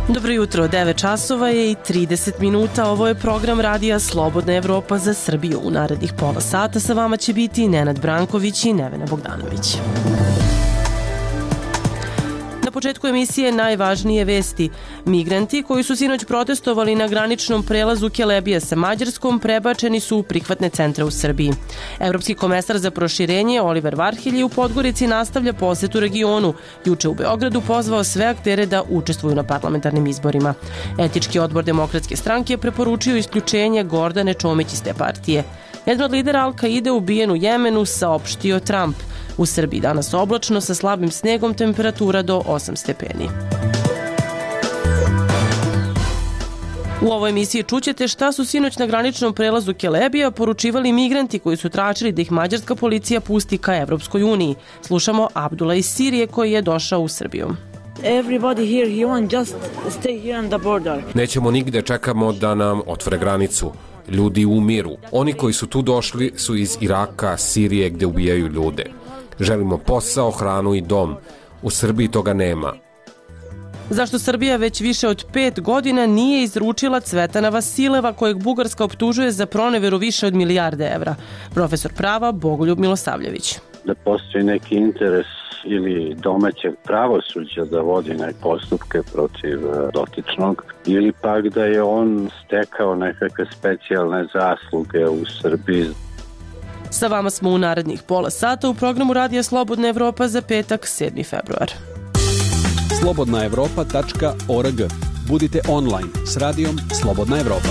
Dobro jutro, 9 časova je i 30 minuta. Ovo je program radija Slobodna Evropa za Srbiju. U narednih pola sata sa vama će biti Nenad Branković i Nevena Bogdanović. Na početku emisije najvažnije vesti. Migranti koji su sinoć protestovali na graničnom prelazu Kelebija sa Mađarskom prebačeni su u prihvatne centre u Srbiji. Evropski komesar za proširenje Oliver Varhelji u Podgorici nastavlja posetu regionu. Juče u Beogradu pozvao sve aktere da učestvuju na parlamentarnim izborima. Etički odbor Demokratske stranke preporučio isključenje Gordane Čomić iz te partije. Jedan od lidera Al-Kaide ubijen u Jemenu, saopštio Trump. U Srbiji danas oblačno sa slabim snegom, temperatura do 8 stepeni. U ovoj emisiji čućete šta su sinoć na graničnom prelazu Kelebija poručivali migranti koji su tražili da ih mađarska policija pusti ka Evropskoj uniji. Slušamo Abdula iz Sirije koji je došao u Srbiju. Nećemo nigde, čekamo da nam otvore granicu. Ljudi umiru. Oni koji su tu došli su iz Iraka, Sirije gde ubijaju ljude. Želimo posao, hranu i dom. U Srbiji toga nema. Zašto Srbija već više od 5 godina nije izručila Cvetana Vasileva, kojeg Bugarska optužuje za proneveru više od milijarde evra? Profesor prava Bogoljub Milosavljević. Da postoji neki interes ili domaćeg pravosuđa da vodi neke postupke protiv dotičnog, ili pak da je on stekao nekakve specijalne zasluge u Srbiji. Sa vama smo u narednih pola sata u programu Radija Slobodna Evropa za petak, 7. februar. slobodnaevropa.org. Budite online s radijom Slobodna Evropa.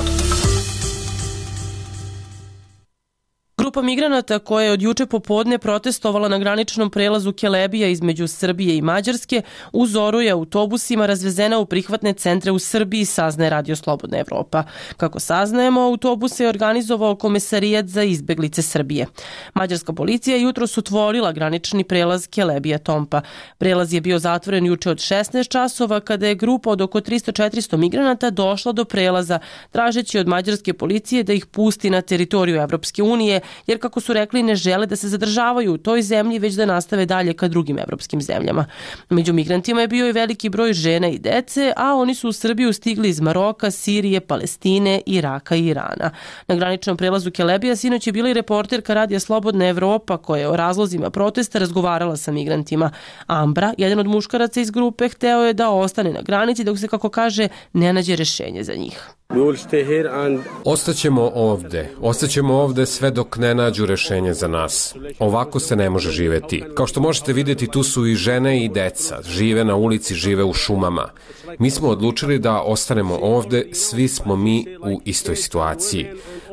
Grupa migranata koja je od juče popodne protestovala na graničnom prelazu Kelebija između Srbije i Mađarske u zoru je autobusima razvezena u prihvatne centre u Srbiji, saznaje Radio Slobodna Evropa. Kako saznajemo, autobuse je organizovao Komesarijat za izbeglice Srbije. Mađarska policija jutros otvorila granični prelaz Kelebija-Tompa. Prelaz je bio zatvoren juče od 16 časova kada je grupa od oko 300-400 migranata došla do prelaza tražeći od mađarske policije da ih pusti na teritoriju Evropske unije, jer kako su rekli ne žele da se zadržavaju u toj zemlji već da nastave dalje ka drugim evropskim zemljama. Među migrantima je bio i veliki broj žena i dece, a oni su u Srbiju stigli iz Maroka, Sirije, Palestine, Iraka i Irana. Na graničnom prelazu Kelebija sinoć je bila i reporterka Radija Slobodna Evropa koja je o razlozima protesta razgovarala sa migrantima. Ambra, jedan od muškaraca iz grupe, hteo je da ostane na granici dok se, kako kaže, ne nađe rešenje za njih. Ostaćemo ovde sve dok ne nađu rešenje za nas. Ovako se ne može živeti. Kao što možete vidjeti, tu su i žene i deca. Žive na ulici, žive u šumama. Mi smo odlučili da ostanemo ovde, svi smo mi u istoj situaciji.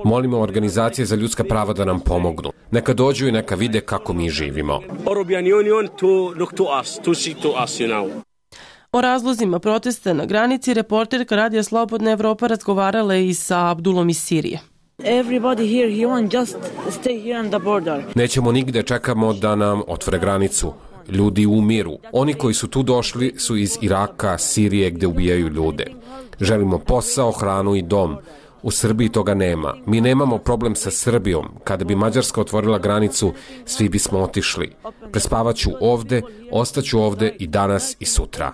Molimo organizacije za ljudska prava da nam pomognu. Neka dođu i neka vide kako mi živimo. O razlozima protesta na granici reporterka Radija Slobodna Evropa razgovarala i sa Abdulom iz Sirije. Nećemo nigde, čekamo da nam otvore granicu. Ljudi umiru. Oni koji su tu došli su iz Iraka, Sirije gde ubijaju ljude. Želimo posao, hranu i dom. U Srbiji toga nema. Mi nemamo problem sa Srbijom. Kada bi Mađarska otvorila granicu, svi bismo otišli. Prespavaću ovde, ostaću ovde i danas i sutra.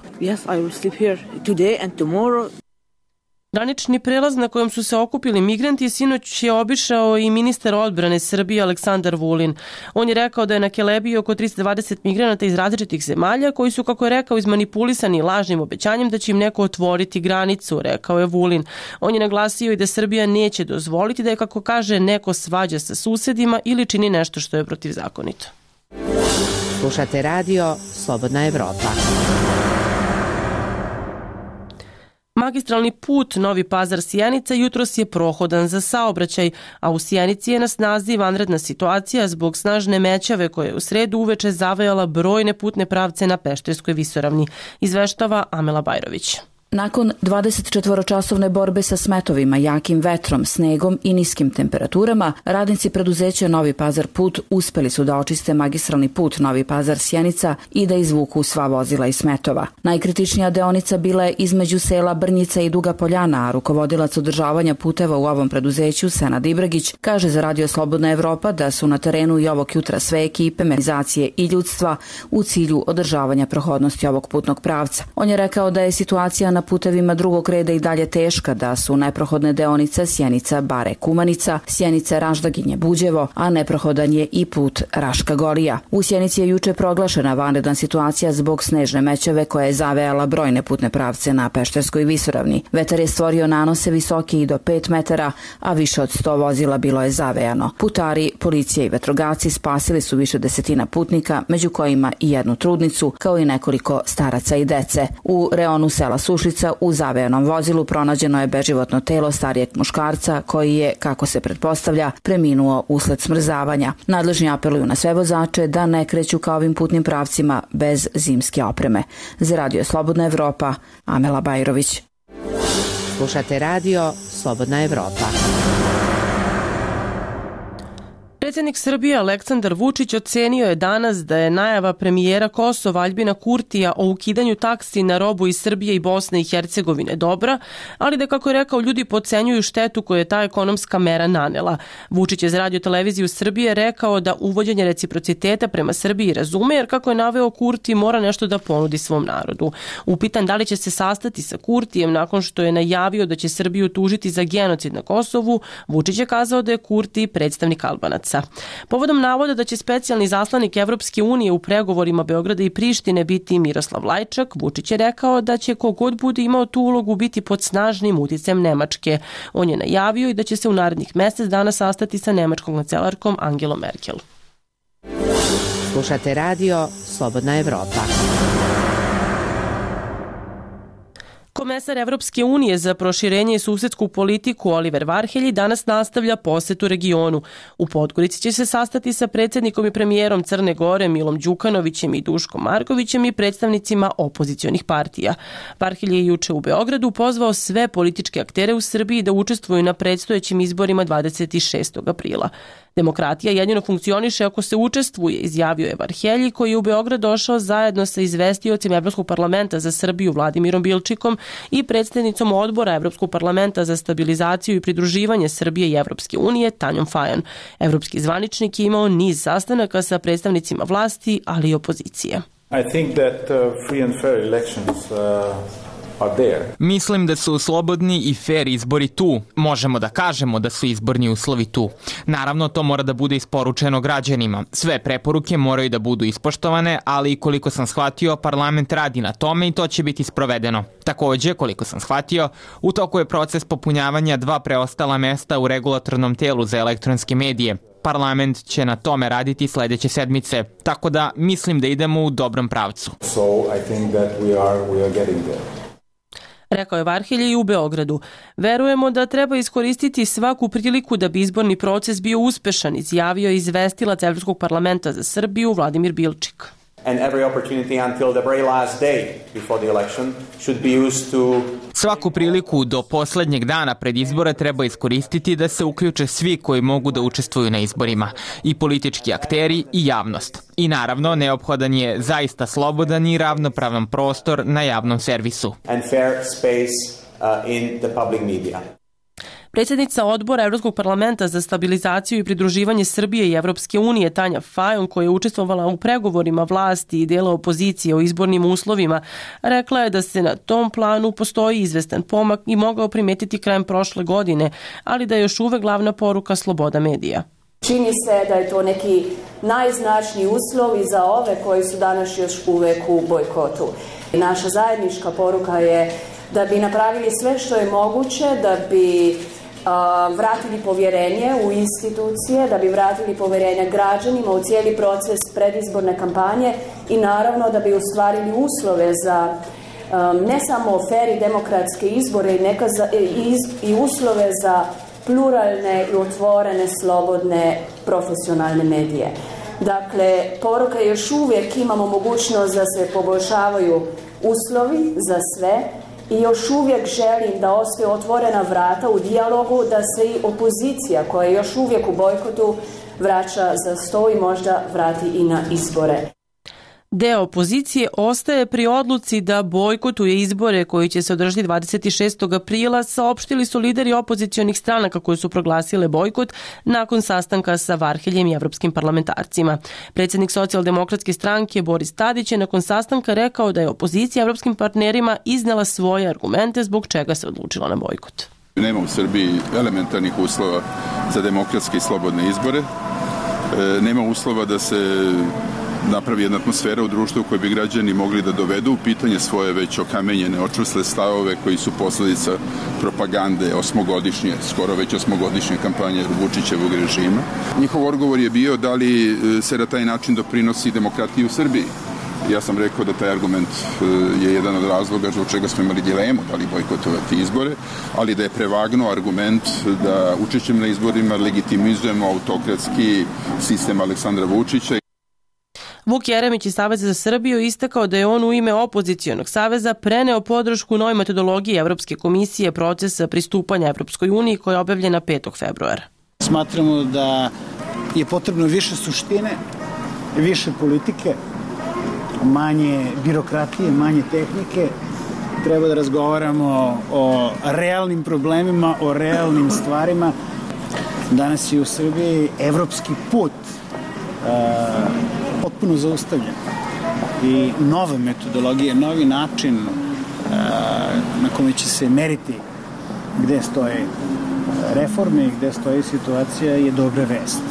Granični prelaz na kojem su se okupili migranti sinoć je obišao i ministar odbrane Srbije Aleksandar Vulin. On je rekao da je na Kelebiji oko 320 migranata iz različitih zemalja koji su, kako je rekao, izmanipulisani lažnim obećanjem da će im neko otvoriti granicu, rekao je Vulin. On je naglasio i da Srbija neće dozvoliti da je, kako kaže, neko svađa sa susedima ili čini nešto što je protivzakonito. Slušate radio Slobodna Evropa. Magistralni put Novi Pazar-Sjenica jutros je prohodan za saobraćaj, a u Sjenici je na snazi vanredna situacija zbog snažne mećave koja je u sredu uveče zavejala brojne putne pravce na Pešterskoj visoravni, izveštava Amela Bajrović. Nakon 24-časovne borbe sa smetovima, jakim vetrom, snegom i niskim temperaturama, radnici preduzeća Novi Pazar put uspeli su da očiste magistralni put Novi Pazar-Sjenica i da izvuku sva vozila iz smetova. Najkritičnija deonica bila je između sela Brnjica i Duga Poljana, a rukovodilac održavanja puteva u ovom preduzeću, Senad Ibragić, kaže za Radio Slobodna Evropa da su na terenu i ovog jutra sve ekipe, mehanizacije i ljudstva u cilju održavanja prohodnosti ovog putnog pravca. On je rekao da je situacija na putevima drugog reda i dalje teška, da su neprohodne deonice Sjenica-Bare-Kumanica, Sjenica-Raždaginje-Buđevo, a neprohodan je i put Raška-Golija. U Sjenici je juče proglašena vanredna situacija zbog snežne mećave koja je zavejala brojne putne pravce na Pešterskoj visoravni. Vetar je stvorio nanose visoke i do 5 metara, a više od 100 vozila bilo je zavejano. Putari, policija i vatrogasci spasili su više desetina putnika, među kojima i jednu trudnicu, kao i nekoliko staraca i dece. U reonu sela Sušica u zavejanom vozilu pronađeno je beživotno telo starijeg muškarca koji je, kako se pretpostavlja, preminuo usled smrzavanja. Nadležni apeluju na sve vozače da ne kreću ka ovim putnim pravcima bez zimske opreme. Za Radio Slobodna Evropa, Amela Bajrović. Slušate radio Slobodna Evropa. Predsjednik Srbije Aleksandar Vučić ocenio je danas da je najava premijera Kosova Aljbina Kurtija o ukidanju taksi na robu iz Srbije i Bosne i Hercegovine dobra, ali da, kako je rekao, ljudi podcenjuju štetu koju je ta ekonomska mera nanela. Vučić je za Radio televiziju Srbije rekao da uvođenje reciprociteta prema Srbiji razume, jer, kako je naveo, Kurti mora nešto da ponudi svom narodu. Upitan da li će se sastati sa Kurtijem nakon što je najavio da će Srbiju tužiti za genocid na Kosovu, Vučić je kazao da je Kurti predstavnik Albanaca. Povodom navoda da će specijalni zaslanik Evropske unije u pregovorima Beograda i Prištine biti Miroslav Lajčak, Vučić je rekao da će kogod bude imao tu ulogu biti pod snažnim uticajem Nemačke. On je najavio i da će se u narednih mjesec dana sastati sa nemačkom kancelarkom Angelom Merkel. Slušate radio Slobodna Evropa. Komesar Evropske unije za proširenje i susedsku politiku Oliver Varhelji danas nastavlja posetu regionu. U Podgorici će se sastati sa predsjednikom i premijerom Crne Gore Milom Đukanovićem i Duškom Markovićem i predstavnicima opozicionih partija. Varhelji je juče u Beogradu pozvao sve političke aktere u Srbiji da učestvuju na predstojećim izborima 26. aprila. Demokratija jedino funkcioniše ako se učestvuje, izjavio je Varhelji, koji je u Beograd došao zajedno sa izvestiocem Evropskog parlamenta za Srbiju Vladimirom Bilčikom i predsjednicom odbora Evropskog parlamenta za stabilizaciju i pridruživanje Srbije i Evropske unije Tanjom Fajon. Evropski zvaničnik je imao niz sastanaka sa predstavnicima vlasti, ali i opozicije. I think that free and fair elections Mislim da su slobodni i fair izbori tu. Možemo da kažemo da su izborni uslovi tu. Naravno, to mora da bude isporučeno građanima. Sve preporuke moraju da budu ispoštovane, ali koliko sam shvatio, parlament radi na tome i to će biti sprovedeno. Takođe, koliko sam shvatio, u toku je proces popunjavanja 2 preostala mesta u regulatornom telu za elektronske medije. Parlament će na tome raditi sledeće sedmice, tako da mislim da idemo u dobrom pravcu. Rekao je Varhelji i u Beogradu. Verujemo da treba iskoristiti svaku priliku da bi izborni proces bio uspešan, izjavio je izvestilac Evropskog parlamenta za Srbiju Vladimir Bilčik. Svaku priliku do poslednjeg dana pred izbore treba iskoristiti da se uključe svi koji mogu da učestvuju na izborima, i politički akteri i javnost. I naravno, neophodan je zaista slobodan i ravnopravan prostor na javnom servisu. Predsjednica odbora Evropskog parlamenta za stabilizaciju i pridruživanje Srbije i Evropske unije Tanja Fajon, koja je učestvovala u pregovorima vlasti i dela opozicije o izbornim uslovima, rekla je da se na tom planu postoji izvestan pomak i mogao primetiti krajem prošle godine, ali da je još uvek glavna poruka sloboda medija. Čini se da je to neki najznačniji uslov i za ove koji su danas još uvek u bojkotu. Naša zajednička poruka je da bi napravili sve što je moguće, da bi vratili povjerenje u institucije, da bi vratili povjerenje građanima u cijeli proces predizborne kampanje i naravno da bi ostvarili uslove za ne samo fer i demokratske izbore i uslove za pluralne i otvorene, slobodne, profesionalne medije. Dakle, poruka je još uvijek imamo mogućnost da se poboljšavaju uslovi za sve i još uvijek želim da ostaju otvorena vrata u dijalogu, da se i opozicija koja je još uvijek u bojkotu vraća za sto i možda vrati i na izbore. Deo opozicije ostaje pri odluci da bojkotuje izbore koji će se održati 26. aprila, saopštili su lideri opozicionih stranaka koje su proglasile bojkot nakon sastanka sa Varheljem i evropskim parlamentarcima. Predsjednik socijaldemokratske stranke Boris Tadić je nakon sastanka rekao da je opozicija evropskim partnerima iznela svoje argumente zbog čega se odlučila na bojkot. Nema u Srbiji elementarnih uslova za demokratske i slobodne izbore. Nema uslova da se napravi jedna atmosfera u društvu u kojoj bi građani mogli da dovedu u pitanje svoje već okamenjene, očvrsle stavove koji su posledica propagande skoro već osmogodišnje kampanje Vučićevog režima. Njihov odgovor je bio da li se na taj način doprinosi demokratiji u Srbiji. Ja sam rekao da taj argument je jedan od razloga zbog čega smo imali dilemu da li bojkotovati izbore, ali da je prevagnuo argument da učešćem na izborima legitimizujemo autokratski sistem Aleksandra Vučića. Vuk Jeremić iz Saveza za Srbiju istakao da je on u ime opozicionog saveza preneo podršku novoj metodologiji Evropske komisije procesa pristupanja Evropskoj uniji koja je objavljena 5. februara. Smatramo da je potrebno više suštine, više politike, manje birokratije, manje tehnike. Treba da razgovaramo o realnim problemima, o realnim stvarima. Danas je u Srbiji evropski put potpuno zaustavljen. I nove metodologije, novi način na kome će se meriti gde stoje reforme i gde stoji situacija je dobra vest.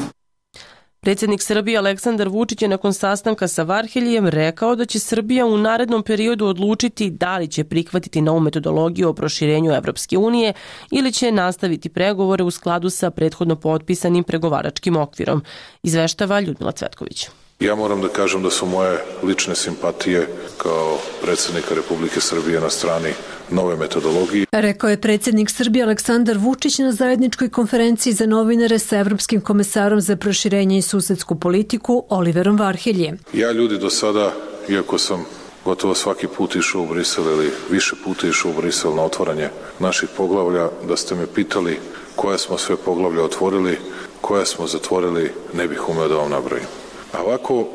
Predsjednik Srbije Aleksandar Vučić je nakon sastanka sa Varheljem rekao da će Srbija u narednom periodu odlučiti da li će prihvatiti novu metodologiju o proširenju Evropske unije ili će nastaviti pregovore u skladu sa prethodno potpisanim pregovaračkim okvirom, izveštava Ljudmila Cvetković. Ja moram da kažem da su moje lične simpatije kao predsjednika Republike Srbije na strani nove metodologije. Rekao je predsjednik Srbije Aleksandar Vučić na zajedničkoj konferenciji za novinare sa Evropskim komesarom za proširenje i susedsku politiku Oliverom Varheljem. Ja ljudi do sada, iako sam gotovo svaki put išao u Brisel ili više puta išao u Brisel na otvaranje naših poglavlja, da ste me pitali koje smo sve poglavlja otvorili, koje smo zatvorili, ne bih umeo da vam nabrojim. A ovako,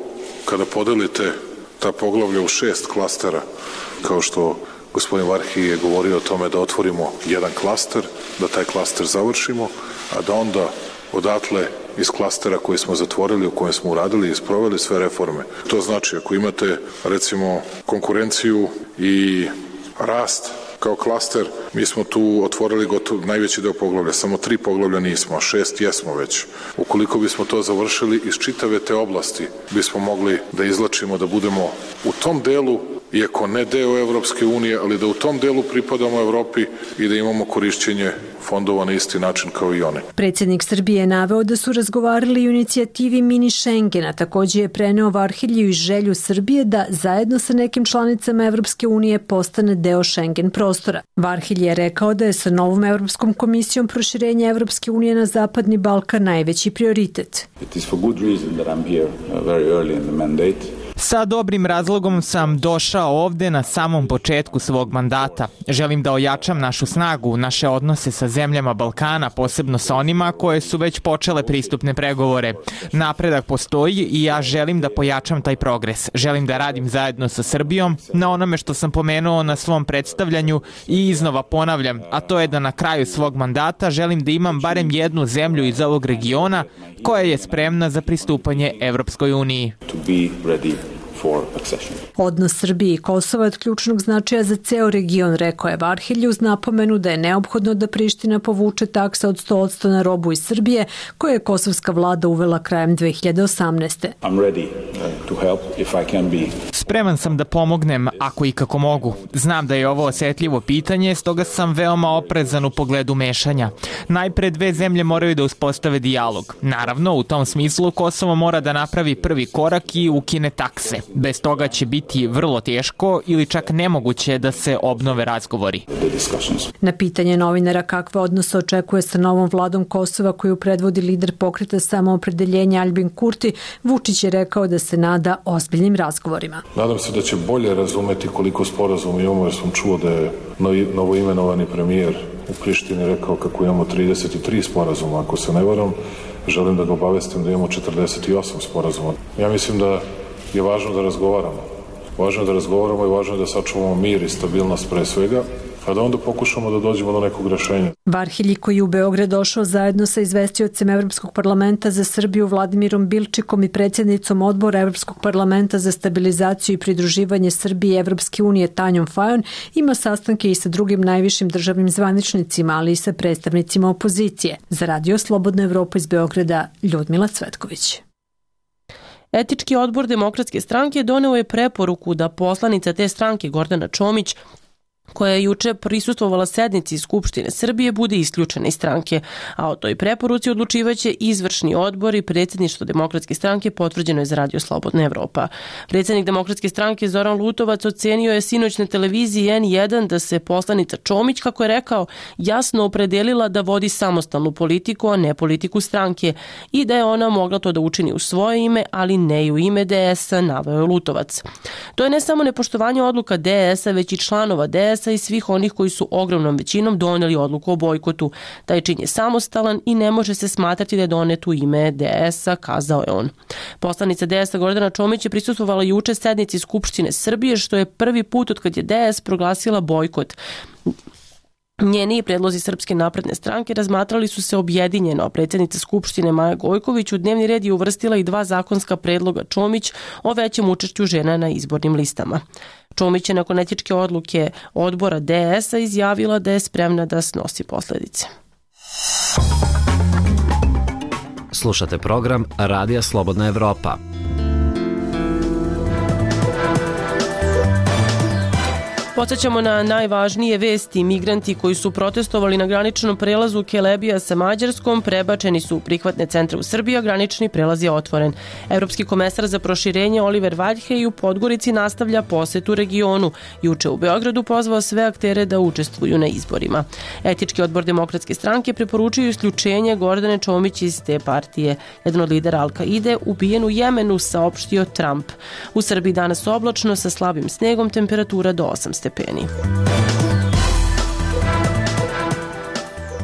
kada podelite ta poglavlja u 6 klastera, kao što gospodin Varhelj je govorio o tome da otvorimo jedan klaster, da taj klaster završimo, a da onda odatle iz klastera koji smo zatvorili, u kojem smo uradili i sproveli sve reforme. To znači, ako imate, recimo, konkurenciju i rast kao klaster, mi smo tu otvorili gotovo najveći deo poglavlja, samo 3 poglavlja nismo, a 6 jesmo već. Ukoliko bismo to završili, iz čitave te oblasti bismo mogli da izlačimo, da budemo u tom delu, iako ne deo Evropske unije, ali da u tom delu pripadamo Evropi i da imamo korišćenje fondova na isti način kao i one. Predsjednik Srbije je naveo da su razgovarali o inicijativi Mini Schengena, također je preneo Varhelju i želju Srbije da zajedno sa nekim članicama Evropske unije postane deo Schengen prostora. Varhelj je rekao da je sa novom Evropskom komisijom proširenje Evropske unije na Zapadni Balkan najveći prioritet. It is for good reason that I'm here very early in the mandate. Sa dobrim razlogom sam došao ovde na samom početku svog mandata. Želim da ojačam našu snagu, naše odnose sa zemljama Balkana, posebno sa onima koje su već počele pristupne pregovore. Napredak postoji i ja želim da pojačam taj progres. Želim da radim zajedno sa Srbijom na onome što sam pomenuo na svom predstavljanju i iznova ponavljam, a to je da na kraju svog mandata želim da imam barem jednu zemlju iz ovog regiona koja je spremna za pristupanje Evropskoj uniji. Odnos Srbije i Kosova je od ključnog značaja za ceo region, rekao je Varhelj uz napomenu da je neophodno da Priština povuče taksa od 100% na robu iz Srbije koje je kosovska vlada uvela krajem 2018. Spreman sam da pomognem ako i kako mogu. Znam da je ovo osetljivo pitanje, stoga sam veoma oprezan u pogledu mešanja. Najpre dve zemlje moraju da uspostave dijalog. Naravno, u tom smislu Kosovo mora da napravi prvi korak i ukine takse. Bez toga će biti vrlo teško ili čak nemoguće da se obnove razgovori. Na pitanje novinara kakve odnose očekuje sa novom vladom Kosova koju predvodi lider pokreta Samoopredeljenja Albin Kurti, Vučić je rekao da se nada ozbiljnim razgovorima. Nadam se da će bolje razumeti koliko sporazuma imamo, jer sam čuo da je novoimenovani premijer u Prištini rekao kako imamo 33 sporazuma, ako se ne varam. Želim da ga obavestim da imamo 48 sporazuma. Ja mislim da je važno da razgovaramo. Važno je da razgovaramo i važno je da sačuvamo mir i stabilnost pre svega, a da onda pokušamo da dođemo do nekog rešenja. Varhelji, koji je u Beograd došao zajedno sa izvestiocem Evropskog parlamenta za Srbiju Vladimirom Bilčikom i predsjednicom odbora Evropskog parlamenta za stabilizaciju i pridruživanje Srbije i Evropske unije Tanjom Fajon, ima sastanke i sa drugim najvišim državnim zvaničnicima, ali i sa predstavnicima opozicije. Za Radio Slobodna Evropa iz Beograda, Ljudmila Cvetković. Etički odbor Demokratske stranke doneo je preporuku da poslanica te stranke Gordana Čomić, koja je juče prisustvovala sednici Skupštine Srbije, bude isključena iz stranke, a o toj preporuci odlučivaće izvršni odbor i predsjedništvo Demokratske stranke, potvrđeno je za Radio Slobodna Evropa. Predsjednik Demokratske stranke Zoran Lutovac ocenio je sinoć na televiziji N1 da se poslanica Čomić, kako je rekao, jasno opredelila da vodi samostalnu politiku, a ne politiku stranke, i da je ona mogla to da učini u svoje ime, ali ne i u ime DS-a, naveo je Lutovac. To je ne samo nepoštovanje odluka DS-a, već i članova DS-a i svih onih koji su ogromnom većinom doneli odluku o bojkotu. Taj čin je samostalan i ne može se smatrati da je donet u ime DS-a, kazao je on. Poslanica DS-a Gordana Čomić je prisustvovala juče sednici Skupštine Srbije, što je prvi put od kad je DS proglasila bojkot. Njeni predlozi Srpske napredne stranke razmatrali su se objedinjeno, a predsjednica Skupštine Maja Gojković u dnevni red je uvrstila i 2 zakonska predloga Čomić o većem učešću žena na izbornim listama. Čomić je nakon etičke odluke odbora DS-a izjavila da je spremna da snosi posledice. Slušate program Radija Slobodna Evropa. Podsećamo na najvažnije vesti. Migranti koji su protestovali na graničnom prelazu Kelebija sa Mađarskom prebačeni su u prihvatne centre u Srbiji, a granični prelaz je otvoren. Evropski komesar za proširenje Oliver Valjhej u Podgorici nastavlja posetu regionu. Juče u Beogradu pozvao sve aktere da učestvuju na izborima. Etički odbor Demokratske stranke preporučuju isključenje Gordane Čomić iz te partije. Jedan od lidera Al-Kaide ubijen u Jemenu, saopštio Trump. U Srbiji danas oblačno sa slabim snegom, temperatura do 8 stepeni.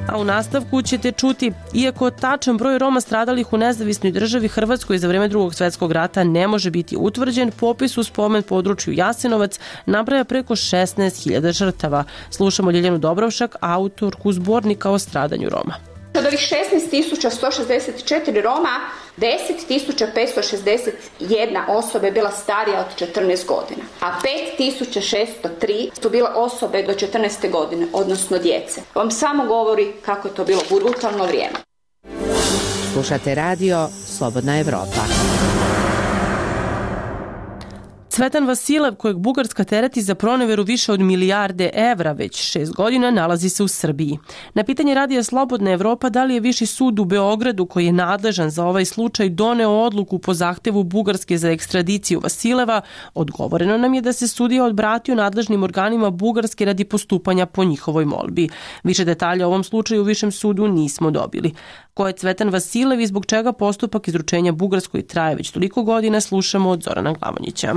A u nastavku ćete čuti, iako tačan broj Roma stradalih u nezavisnoj državi Hrvatskoj za vreme Drugog svjetskog rata ne može biti utvrđen, popis u spomen području Jasenovac nabraja preko 16.000 žrtava. Slušamo Ljiljanu Dobrovšak, autorku zbornika o stradanju Roma. Od ovih 16.164 Roma, 10.561 osoba je bila starija od 14 godina, a 5.603 su bile osobe do 14. godine, odnosno djece. Vam samo govori kako je to bilo brutalno vrijeme. Slušate radio Slobodna Evropa. Cvetan Vasilev, kojeg Bugarska tereti za proneveru više od milijarde evra već 6 godina, nalazi se u Srbiji. Na pitanje Radija Slobodna Evropa da li je Viši sud u Beogradu, koji je nadležan za ovaj slučaj, doneo odluku po zahtevu Bugarske za ekstradiciju Vasileva, odgovoreno nam je da se sudija odbratio nadležnim organima Bugarske radi postupanja po njihovoj molbi. Više detalja o ovom slučaju u Višem sudu nismo dobili. Ko je Cvetan Vasilev i zbog čega postupak izručenja Bugarskoj traje već toliko godina, slušamo od Zorana Glavonjića.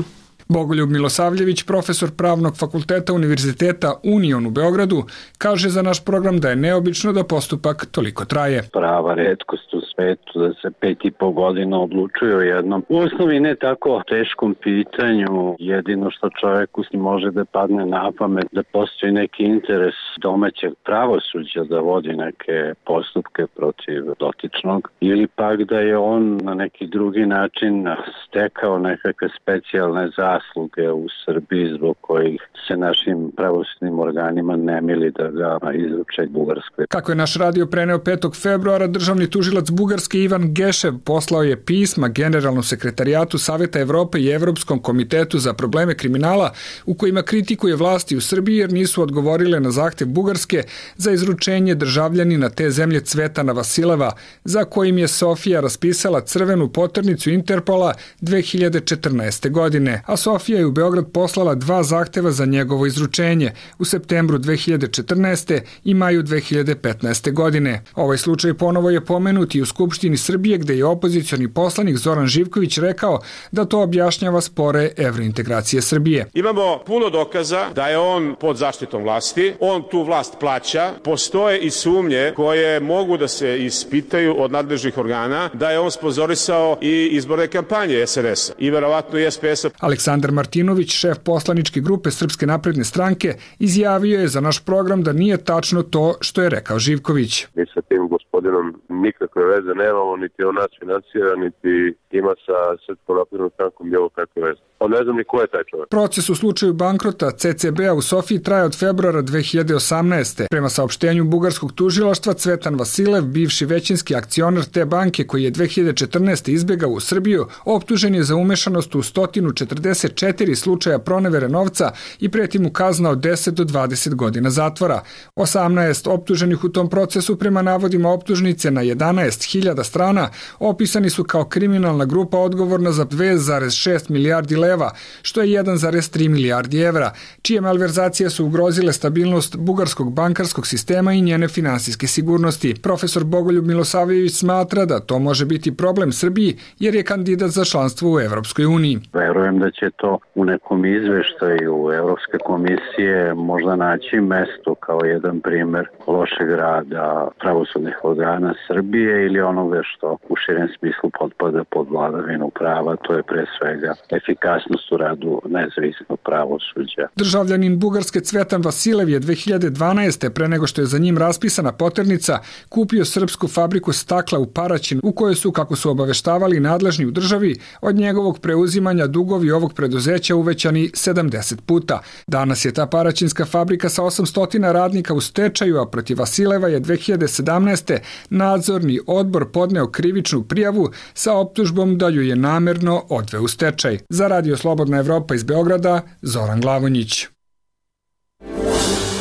Bogoljub Milosavljević, profesor Pravnog fakulteta Univerziteta Union u Beogradu, kaže za naš program da je neobično da postupak toliko traje. Prava retkost u svetu da se 5,5 godina odlučuje o jednom u osnovi ne tako teškom pitanju. Jedino što čoveku može da padne na pamet da postoji neki interes domaćeg pravosuđa da vodi neke postupke protiv dotičnog, ili pak da je on na neki drugi način stekao nekakve specijalne zasluge u Srbiji zbog kojih se našim pravosudnim organima ne mili da ga izruče Bugarskoj. Kako je naš radio preneo 5. februara, državni tužilac Bugarske Ivan Gešev poslao je pisma Generalnom sekretarijatu Saveta Evrope i Evropskom komitetu za probleme kriminala u kojima kritikuje vlasti u Srbiji jer nisu odgovorile na zahtev Bugarske za izručenje državljanina te zemlje Cvetana Vasileva, za kojim je Sofija raspisala crvenu poternicu Interpola 2014. godine, a Sofija je u Beograd poslala 2 zahteva za njegovo izručenje u septembru 2014. i maju 2015. godine. Ovaj slučaj ponovo je pomenut i u Skupštini Srbije gde je opozicioni poslanik Zoran Živković rekao da to objašnjava spore evrointegracije Srbije. Imamo puno dokaza da je on pod zaštitom vlasti, on tu vlast plaća, postoje i sumnje koje mogu da se ispitaju od nadležnih organa da je on sponzorisao i izborne kampanje SNS-a i verovatno i SPS-a. Aleksandar Martinović, šef poslaničke grupe Srpske napredne stranke, izjavio je za naš program da nije tačno to što je rekao Živković. Mi sa tim gospodinom nikakve veze nemamo, niti on nas finansira, niti ima sa Srpskom naprednom strankom bilo kakve veze. On ne znam ni ko je taj čovjek. Proces u slučaju bankrota CCB-a u Sofiji traje od februara 2018. Prema saopštenju bugarskog tužilaštva, Cvetan Vasilev, bivši većinski akcionar te banke koji je 2014. izbegao u Srbiju, optužen je za umešanost u 144 slučaja pronevere novca i preti mu kazna od 10 do 20 godina zatvora. 18 optuženih u tom procesu prema navodima optužnice na 11.000 strana opisani su kao kriminalna grupa odgovorna za 2,6 milijardi leva, što je 1,3 milijardi evra, čije malverzacije su ugrozile stabilnost bugarskog bankarskog sistema i njene finansijske sigurnosti. Profesor Bogoljub Milosavljević smatra da to može biti problem Srbiji jer je kandidat za članstvo u Evropskoj uniji. Verujem da će to u nekom izveštaju Evropske komisije možda naći mesto kao jedan primer lošeg rada pravosudnih organa Srbije ili onoga što u širem smislu potpada pod vladavinu prava, to je pre svega efikasnost u radu nezavisnog pravosuđa. Državljanin Bugarske Cvetan Vasilev je 2012. pre nego što je za njim raspisana poternica kupio srpsku fabriku stakla u Paraćinu u kojoj su, kako su obaveštavali nadležni u državi, od njegovog preuzimanja dugovi ovog preduzeća uvećani 70 puta. Danas je ta paraćinska fabrika sa 800 radnika u stečaju, a protiv Vasileva je 2017. nadzorni odbor podneo krivičnu prijavu sa optužbom da ju je namerno odveo u stečaj. Za Radio Slobodna Evropa iz Beograda, Zoran Glavonjić.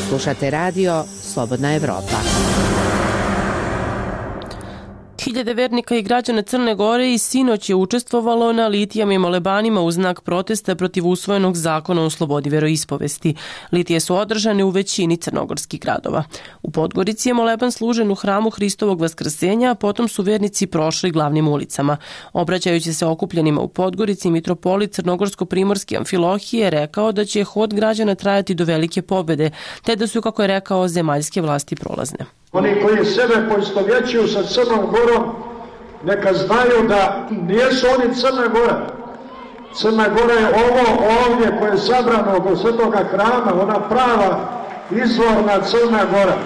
Slušate Radio Slobodna Evropa. Hiljade vernika i građana Crne Gore i sinoć je učestvovalo na litijama i molebanima u znak protesta protiv usvojenog zakona o slobodi veroispovesti. Litije su održane u većini crnogorskih gradova. U Podgorici je moleban služen u hramu Hristovog vaskrsenja, a potom su vernici prošli glavnim ulicama. Obraćajući se okupljenima u Podgorici, mitropolit Crnogorsko-primorski Amfilohije rekao da će hod građana trajati do velike pobede, te da su, kako je rekao, zemaljske vlasti prolazne. Oni koji sebe poistovjećuju sa Crnom Gorom, neka znaju da nijesu oni Crna Gora. Crna Gora je ovo ovdje koje je sabrano oko Svetoga hrama, ona prava izvorna Crna Gora.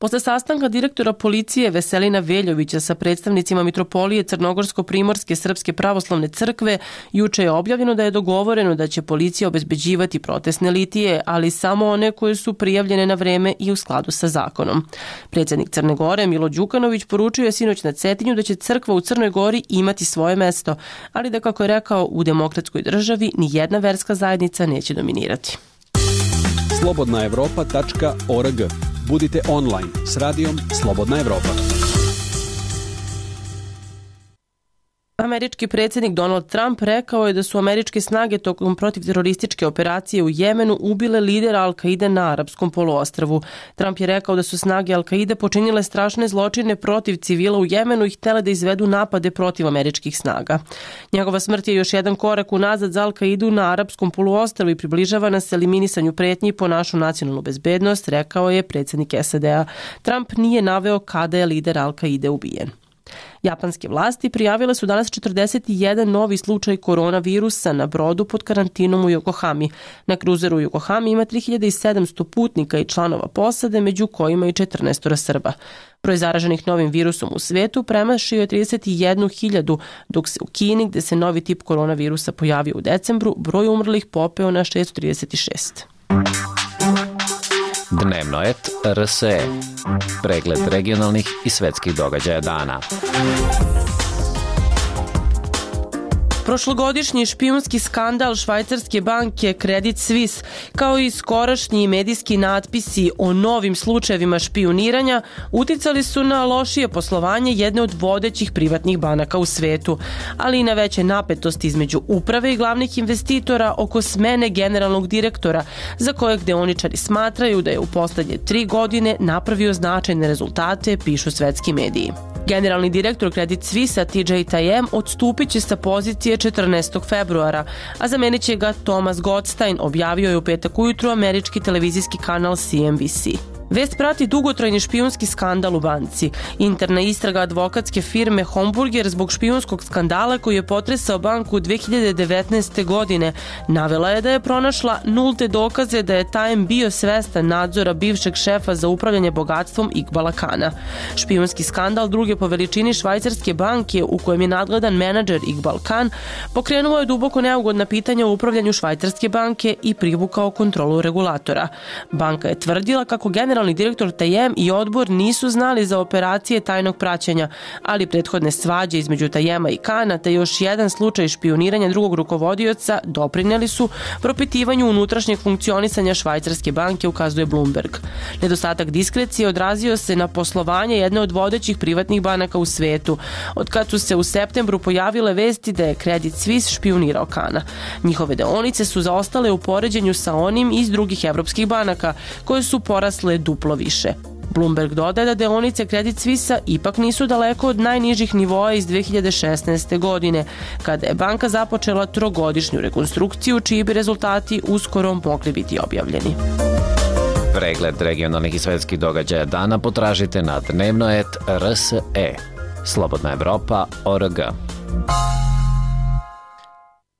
Posle sastanka direktora policije Veselina Veljovića sa predstavnicima Mitropolije Crnogorsko-primorske Srpske pravoslavne crkve, juče je objavljeno da je dogovoreno da će policija obezbeđivati protestne litije, ali samo one koje su prijavljene na vreme i u skladu sa zakonom. Predsjednik Crne Gore Milo Đukanović poručio je sinoć na Cetinju da će crkva u Crnoj Gori imati svoje mesto, ali da, kako je rekao, u demokratskoj državi ni jedna verska zajednica neće dominirati. slobodnaevropa.org. Budite online s radijom Slobodna Evropa. Američki predsjednik Donald Trump rekao je da su američke snage tokom protivterorističke operacije u Jemenu ubile lidera Al-Kaide na Arapskom poluostrvu. Trump je rekao da su snage Al-Kaide počinile strašne zločine protiv civila u Jemenu i htjele da izvedu napade protiv američkih snaga. Njegova smrt je još jedan korak unazad za Al-Kaidu na Arapskom poluostrvu i približava nas eliminisanju pretnji po našu nacionalnu bezbednost, rekao je predsjednik SAD-a. Trump nije naveo kada je lider Al-Kaide ubijen. Japanske vlasti prijavile su danas 41 novi slučaj koronavirusa na brodu pod karantinom u Yokohami. Na kruzeru u Yokohami ima 3700 putnika i članova posade, među kojima i 14 Srba. Broj zaraženih novim virusom u svetu premašio je 31.000, dok se u Kini, gde se novi tip koronavirusa pojavio u decembru, broj umrlih popeo na 636. Dnevno et RSE. Pregled regionalnih i svetskih događaja dana. Prošlogodišnji špijunski skandal švajcarske banke Credit Suisse, kao i skorašnji medijski natpisi o novim slučajevima špijuniranja, uticali su na lošije poslovanje jedne od vodećih privatnih banaka u svetu, ali i na veće napetosti između uprave i glavnih investitora oko smene generalnog direktora, za kojeg deoničari smatraju da je u poslednje 3 godine napravio značajne rezultate, pišu svetski mediji. Generalni direktor Credit Suisse TJ Tajem odstupit će sa pozicije 14. februara, a zamenit će ga Thomas Gottstein, objavio je u petak ujutru američki televizijski kanal CNBC. Vest prati dugotrajni špijunski skandal u banci. Interna istraga advokatske firme Homburger zbog špijunskog skandala koji je potresao banku 2019. godine navela je da je pronašla nulte dokaze da je Tajem bio svestan nadzora bivšeg šefa za upravljanje bogatstvom Iqbala Kana. Špijunski skandal druge po veličini švajcarske banke u kojem je nadgledan menadžer Iqbal Khan pokrenuo je duboko neugodna pitanja o upravljanju švajcarske banke i privukao kontrolu regulatora. Banka je tvrdila kako generalni direktor Tajem i odbor nisu znali za operacije tajnog praćenja, ali prethodne svađe između Tajema i Kana te još jedan slučaj špijuniranja drugog rukovodioca doprineli su propitivanju unutrašnjeg funkcionisanja švajcarske banke, ukazuje Bloomberg. Nedostatak diskrecije odrazio se na poslovanje jedne od vodećih privatnih banaka u svetu, od kad su se u septembru pojavile vesti da je Credit Suisse špijunirao Kana. Njihove deonice su zaostale u poređenju sa onim iz drugih evropskih banaka, koje su porasle duplo više. Bloomberg dodaje da deonice Credit Suisse ipak nisu daleko od najnižih nivoa iz 2016. godine, kada je banka započela trogodišnju rekonstrukciju, čiji bi rezultati uskoro mogli biti objavljeni. Pregled regionalnih i svetskih događaja dana potražite na dnevnoet.rse. Slobodna Evropa.org.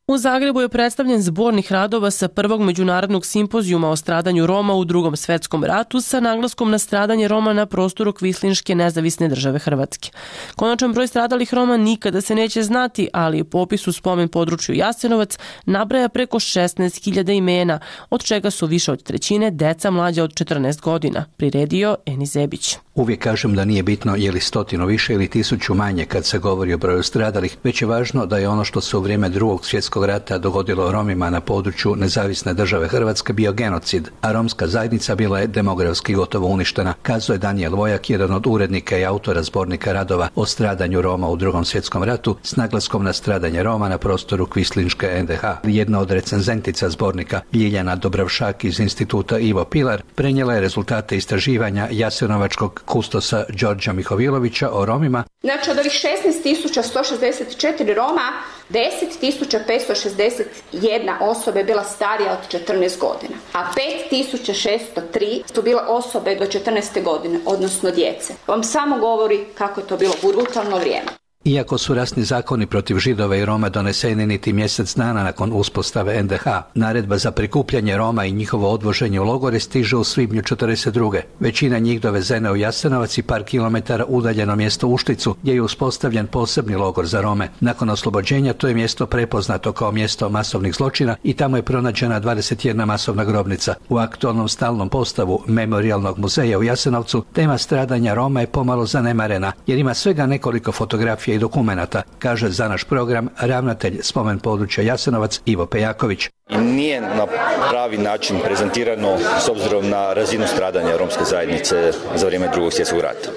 U Zagrebu je predstavljen zbornik radova sa prvog međunarodnog simpozijuma o stradanju Roma u Drugom svetskom ratu sa naglaskom na stradanje Roma na prostoru Kvislinške nezavisne države Hrvatske. Konačan broj stradalih Roma nikada se neće znati, ali popis u spomen području Jasenovac nabraja preko 16.000 imena, od čega su više od trećine deca mlađa od 14 godina, priredio Eni Zebić. Uvijek kažem da nije bitno je li 100 više ili 1000 manje kad se govori o broju stradalih, već je važno da je ono što se u vrijeme Drugog svjetskog rata dogodilo Romima na području nezavisne države Hrvatske bio genocid, a romska zajednica bila je demografski gotovo uništena, kazao je Danijel Vojak, jedan od urednika i autora zbornika radova o stradanju Roma u Drugom svjetskom ratu s naglaskom na stradanje Roma na prostoru Kvislinške NDH. Jedna od recenzentica zbornika, Ljiljana Dobravšak iz instituta Ivo Pilar, prenijela je rezultate istraživanja jasenovačkog kustosa Đorđa Mihovilovića o Romima. Znači od ovih 16.164 Roma, 10.561 osoba je bila starija od 14 godina, a 5.603 su bile osobe do 14. godine, odnosno djece. Vam samo govori kako je to bilo brutalno vrijeme. Iako su rasni zakoni protiv Židova i Roma doneseni niti mjesec dana nakon uspostave NDH, naredba za prikupljanje Roma i njihovo odvoženje u logore stiže u svibnju 1942. Većina njih dovezena u Jasenovac i par kilometara udaljeno mjesto Ušticu, gdje je uspostavljen posebni logor za Rome. Nakon oslobođenja to je mjesto prepoznato kao mjesto masovnih zločina i tamo je pronađena 21 masovna grobnica. U aktualnom stalnom postavu Memorijalnog muzeja u Jasenovcu tema stradanja Roma je pomalo zanemarena, jer ima svega nekoliko fotografija i dokumenata, kaže za naš program ravnatelj spomen područja Jasenovac Ivo Pejaković. Nije na pravi način prezentirano s obzirom na razinu stradanja romske zajednice za vrijeme Drugog svjetskog rata.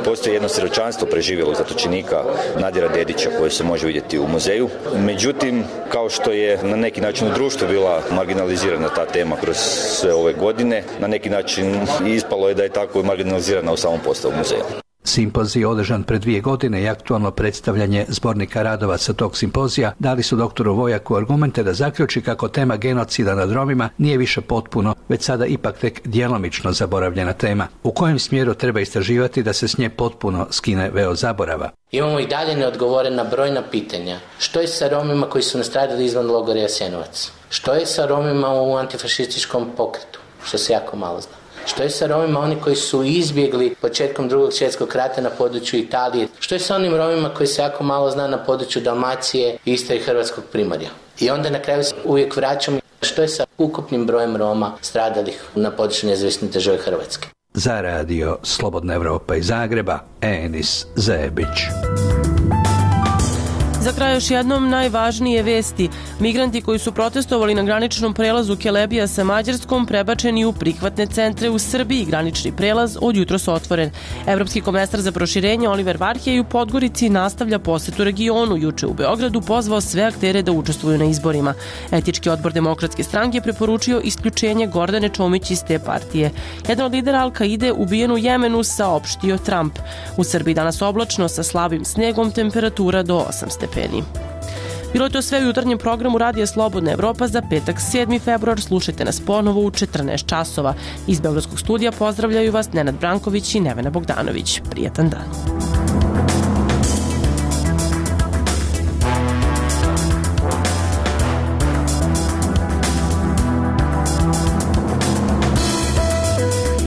Postoji jedno svjedočanstvo preživjelog zatočenika Nadira Dedića koje se može vidjeti u muzeju. Međutim, kao što je na neki način u društvu bila marginalizirana ta tema kroz sve ove godine, na neki način ispalo je da je tako marginalizirana u samom postavu muzeja. Simpozij je održan pred 2 godine i aktualno predstavljanje zbornika radova sa tog simpozija dali su doktoru Vojaku argumente da zaključi kako tema genocida nad Romima nije više potpuno, već sada ipak tek djelomično zaboravljena tema. U kojem smjeru treba istraživati da se s nje potpuno skine veo zaborava? Imamo i dalje neodgovorena brojna pitanja. Što je sa Romima koji su nastradali izvan logora Jasenovac? Što je sa Romima u antifašističkom pokretu? Što se jako malo zna. Što je sa Romima oni koji su izbjegli početkom Drugog svjetskog rata na području Italije? Što je sa onim Romima koji se jako malo zna na području Dalmacije, Istre i Hrvatskog Primorja? I onda na kraju se uvijek vraćamo što je sa ukupnim brojem Roma stradalih na području nezavisne države Hrvatske. Za radio Slobodna Evropa iz Zagreba, Enis Zebić. Za kraj još jednom najvažnije vesti. Migranti koji su protestovali na graničnom prelazu Kelebija sa Mađarskom prebačeni u prihvatne centre u Srbiji. Granični prelaz od jutros otvoren. Evropski komesar za proširenje Oliver Varhej u Podgorici nastavlja posetu regionu. Juče u Beogradu pozvao sve aktere da učestvuju na izborima. Etički odbor Demokratske stranke preporučio isključenje Gordane Čomić iz te partije. Jedan od lidera Al-Kaide ubijen u Jemenu, saopštio Trump. U Srbiji danas oblačno sa slabim snegom, temperatura do 8 stepeni. Bilo je to sve u jutarnjem programu Radija Slobodna Evropa za petak 7. februar. Slušajte nas ponovo u 14 časova. Iz Beogradskog studija pozdravljaju vas Nenad Branković i Nevena Bogdanović. Prijetan dan.